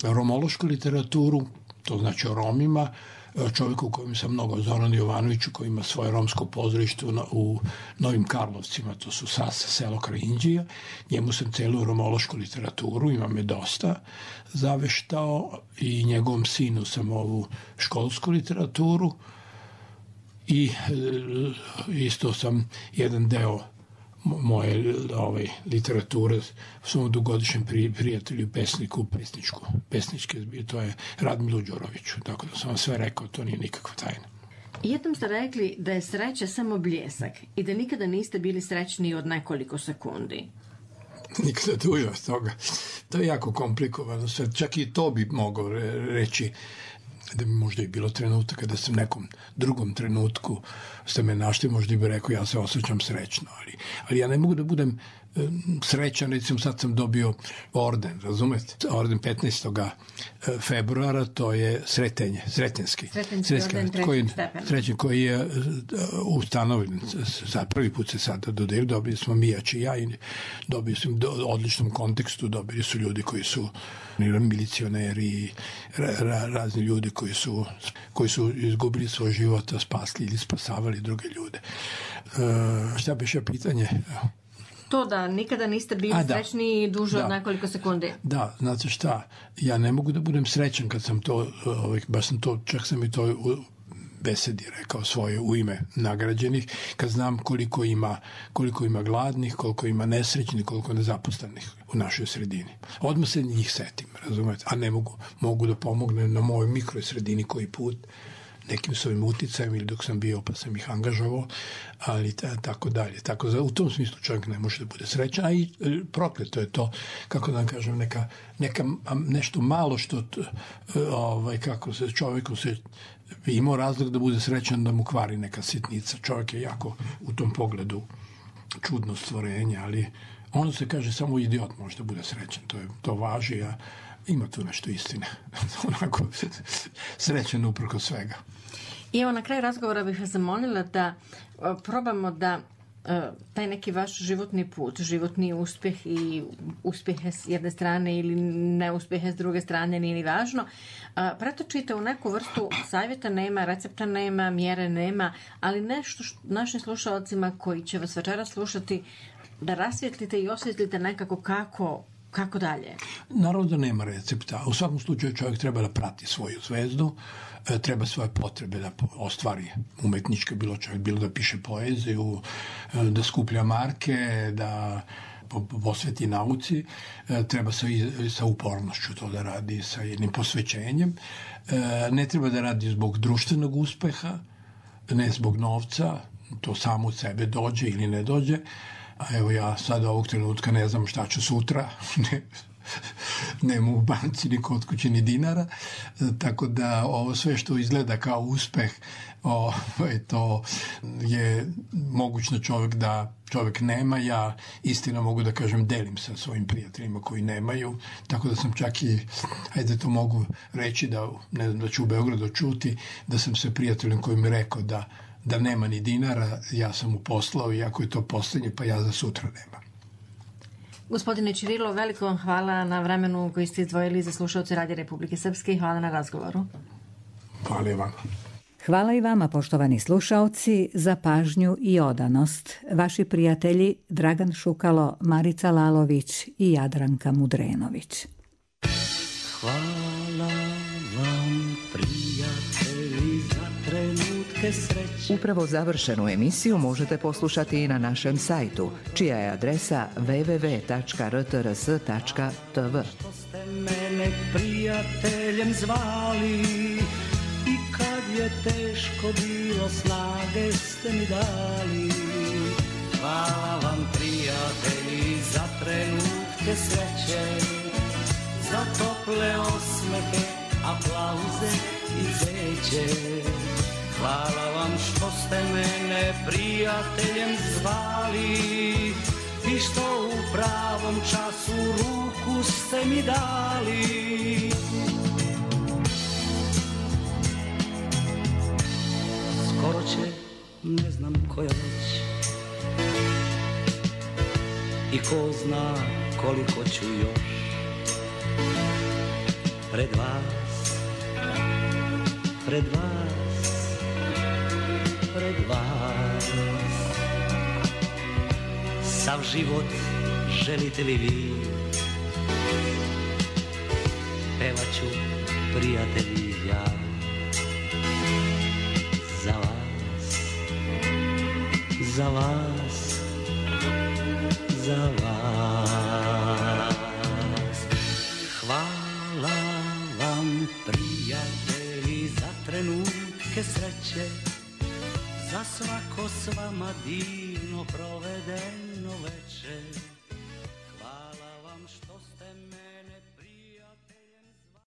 romološku literaturu, to znači o Romima, čovjeku kojim sam mnogo, Zoranu Jovanoviću, koji ima svoje romsko pozorište u Novim Karlovcima, to su Sasa, selo kraj Inđija, njemu sam celu romološku literaturu, imam je dosta, zaveštao, i njegovom sinu sam ovu školsku literaturu, i isto sam jedan deo moje literature svom dugogodišnjem prijatelju, pesniku, pesničke, to je Radmilu Đuroviću, tako da sam vam sve rekao, to nije nikakva tajna. Jednom ste rekli da je sreća samo bljesak i da nikada niste bili srećniji od nekoliko sekundi. Nikada duže od toga. To je jako komplikovano sve. Čak i to bi mogao reći, da bi možda i bilo trenutak kada sam nekom drugom trenutku ste me našli, možda bi rekao ja se osjećam srećno, ali ja ne mogu da budem srećan, recimo sad sam dobio orden, razumete? Orden 15. februara, to je Sretenski orden koji je ustanovljen, prvi put se sada dodelio, dobili smo Mijač i ja, i dobili smo u odličnom kontekstu, dobili su ljudi koji su milicioneri, razni ljudi koji su izgubili svoj život, spasli ili spasavali druge ljude. Šta biše pitanje? To da nikada niste bili srećni duže od nekoliko sekundi. Da, znate šta, ja ne mogu da budem srećan kad sam to, baš sam to, čak sam i to u besedi rekao svoje u ime nagrađenih, kad znam koliko ima gladnih, koliko ima nesrećnih, koliko nezaposlenih u našoj sredini. Odmah se njih setim, razumete, a ne mogu da pomognem na mojoj mikrosredini koji put, nekim svojim uticajem ili dok sam bio pa sam ih angažovao, ali tako dalje. Tako da u tom smislu čovjek ne može da bude srećan, a i prokleto je to, kako da vam kažem, nešto malo što kako se čovjeku se imao razlog da bude srećan da mu kvari neka sitnica. Čovjek je jako u tom pogledu čudno stvorenje, ali ono se kaže samo idiot može da bude srećan. To važi, a ima tu nešto istine. Onako srećan uprko svega. I evo na kraju razgovora bih vas zamolila da probamo da taj neki vaš životni put, životni uspjeh i uspjehe s jedne strane ili neuspjehe s druge strane, nije ni važno, pretočite u neku vrstu savjeta, nema, recepta nema, mjere nema, ali nešto našim slušalcima koji će vas večeras slušati, da rasvjetlite i osvjetlite nekako kako kako dalje? Naravno da nema recepta. U svakom slučaju čovjek treba da prati svoju zvezdu, treba svoje potrebe da ostvari umetničke, bilo da piše poeziju, da skuplja marke, da posveti nauci, treba sa upornošću to da radi, sa jednim posvećenjem. Ne treba da radi zbog društvenog uspeha, ne zbog novca, to samo od sebe dođe ili ne dođe. A evo ja sad ovog trenutka ne znam šta ću sutra, nema u banci ni kod kuće ni dinara, tako da ovo sve što izgleda kao uspeh, to je mogućno čovjek nema. Ja istina mogu da kažem delim sa svojim prijateljima koji nemaju, tako da sam čak i, ajde to mogu reći da, ne znam, da ću u Beogradu čuti, da sam se prijateljem koji mi rekao da nema ni dinara, ja sam mu poslao, iako je to poslednje, pa ja za sutra nemam. Gospodine Ćirilo, veliko vam hvala na vremenu koji ste izdvojili za slušalce Radija Republike Srpske i hvala na razgovoru. Hvala i vama. Hvala i vama, poštovani slušaoci, za pažnju i odanost. Vaši prijatelji Dragan Šukalo, Marica Lalović i Jadranka Mudrenović. Hvala vam, prijatelji, za trenutke sreće. Upravo završenu emisiju možete poslušati i na našem sajtu, čija je adresa www.rtrs.tv. Što ste mene prijateljem zvali i kad je teško bilo, snage ste mi dali. Hvala vam, prijatelji, za trenutke sreće, za tople osmehe, aplauze i zeće. Hvala vam što ste mene prijateljem zvali i što u pravom času ruku ste mi dali. Skoro će, ne znam koja već, i ko zna koliko ću još pred vas, pred vas. Sav život želite li vi, pevaću, prijatelji, ja za vas, za vas, za vas. Hvala vam, prijatelji, za trenutke sreće, za svako s vama divno provedeno večer.